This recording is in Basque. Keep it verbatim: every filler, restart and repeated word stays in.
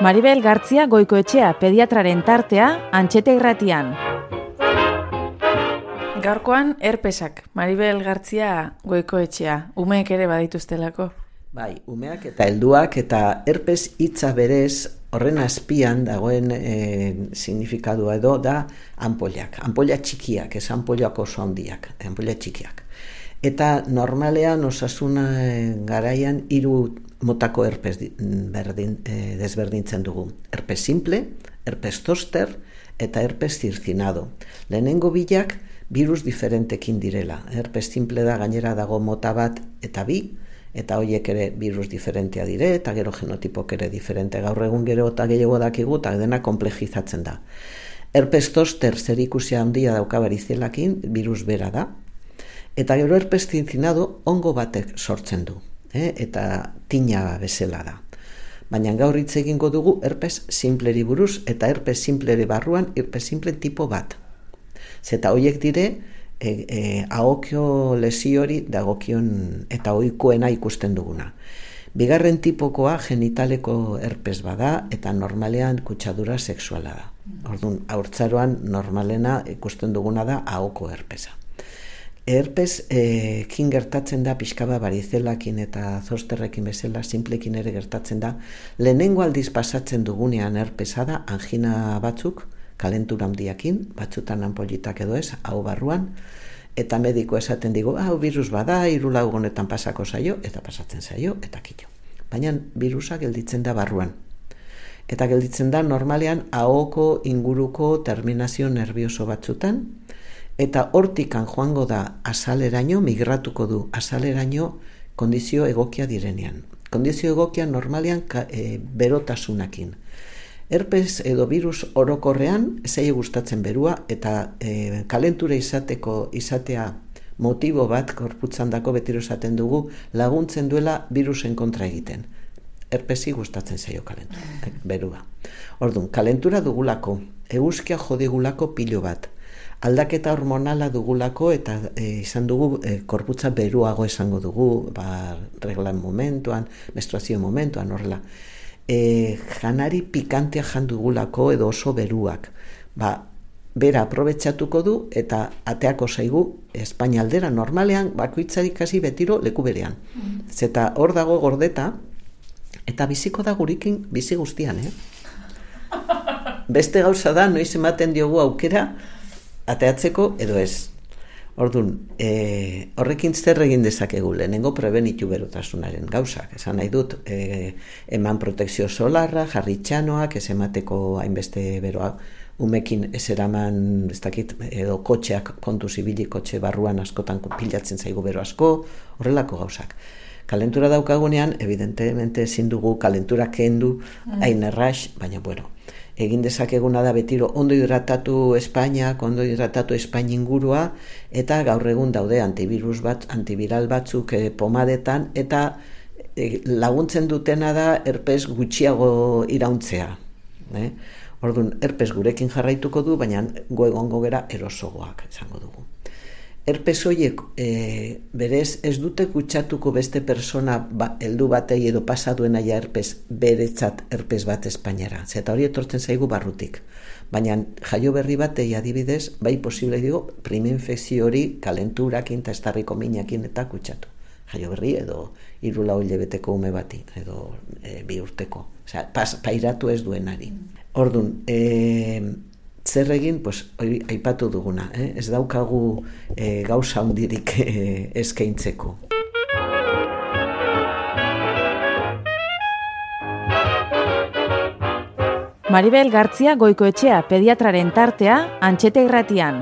Maribel Gartzia Goikoetxea pediatraren tartea Antxete Irratian. Gaurkoan herpesak, Maribel Gartzia Goikoetxea, umeek ere badituztelako. Bai, umeak eta helduak eta herpes hitza berez horren azpian dagoen e, signifikadua edo da anpoliak. Anpolia txikiak, ez anpoliak oso handiak, anpolia txikiak. Eta normalean osasuna garaian hiru motako herpes berdin, e, desberdintzen dugu. Herpes simple, herpes zoster eta herpes zirzinado. Lehenengo bilak virus diferentekin direla. Herpes simple da gainera dago mota bat eta bi, eta horiek ere virus diferentea dire, eta gero genotipok ere diferente. Gaur egun gero eta gehiago dakigu, eta dena komplejizatzen da. Herpes zoster zer ikusia handia dauka barizelakin, virus bera da. Eta gero herpes zirzinado ongo batek sortzen du, eh? Eta tina bezala da. Baina gaur hitz egingo dugu herpes simpleri buruz, eta herpes simpleri barruan herpes simple tipo bat. Zeta horiek dire, e, e, ahokio lesiori dagokion eta ohikoena ikusten duguna. Bigarren tipokoa genitaleko herpes bada, eta normalean kutsadura sexuala da. Orduan, haurtzaroan normalena ikusten duguna da ahoko herpesa. Herpes e, kin gertatzen da pixkaba barizelakin eta zosterrekin bezala, simplekin ere gertatzen da. Lehenengo aldiz pasatzen dugunean herpesa da, angina batzuk, kalentura handiakin, batzutan anpolitak edo ez, hau barruan, eta mediko esaten digu, hau virus bada, hiru lau egunetan pasako zaio, eta pasatzen zaio, eta kito. Baina virusa gelditzen da barruan. Eta gelditzen da normalean ahoko inguruko terminazio nervioso batzutan, eta hortikan joango da azaleraino, migratuko du azaleraino kondizio egokia direnean. Kondizio egokia normalean e, berotasunakin. Herpes edo virus orokorrean ezai gustatzen berua eta e, kalentura izateko izatea motibo bat korputzan dako betiro esaten dugu laguntzen duela virusen kontra egiten. Herpesi gustatzen zaio kalentura, berua. Orduan, kalentura dugulako, eguzkia jodigulako pilo bat. Aldaketa hormonala dugulako eta e, izan dugu e, korputza beruago esango dugu, ba, reglan momentuan, menstruazio momentuan, horrela. E, janari pikantea jandugulako edo oso beruak. Ba, bera aprobetxatuko du eta ateako zaigu Espainialdera normalean bakoitzari kasi betiro leku berean. Zeta hor dago gordeta eta biziko da gurikin bizi guztian, eh? Beste gauza da, noiz ematen diogu aukera ateatzeko edo ez. Orduan, e, horrekin zer egin dezakegu, lehenengo prebenitu berotasunaren gauzak. Esan nahi dut, e, eman protekzio solarra, jarri txanoak, ez emateko hainbeste beroa, umekin ez eraman, ez dakit, edo kotxeak kontu zibili, kotxe barruan askotan pilatzen zaigu bero asko, horrelako gauzak. Kalentura daukagunean, evidentemente ezin dugu kalentura kendu, hain errax, baina bueno, egin dezakeguna da betiro ondo hidratatu Espainiak, ondo hidratatu Espaini ingurua, eta gaur egun daude antivirus bat, antiviral batzuk eh, pomadetan, eta eh, laguntzen dutena da herpes gutxiago irauntzea. Eh? Orduan, herpes gurekin jarraituko du, baina gu egongo gera erosogoak, esango dugu. Herpes horiek e, berez ez dute kutsatuko beste persona ba, heldu batei edo pasaduena ja herpes beretzat herpes bat Espainiara. Zeta hori etortzen zaigu barrutik. Baina jaio berri batei adibidez, bai posible digo, priminfekzio hori kalenturakin eta estarriko minakin eta kutsatu. Jaio berri edo hiru lau hilabeteko ume bati, edo e, bi urteko. Osea, pas, pairatu ez duenari. Orduan, e, zer egin, pues, hori aipatu duguna, eh? Ez daukagu eh, gauza hundirik eh, eskaintzeko. Maribel Gartzia Goikoetxea pediatraren tartea Antxete Irratian.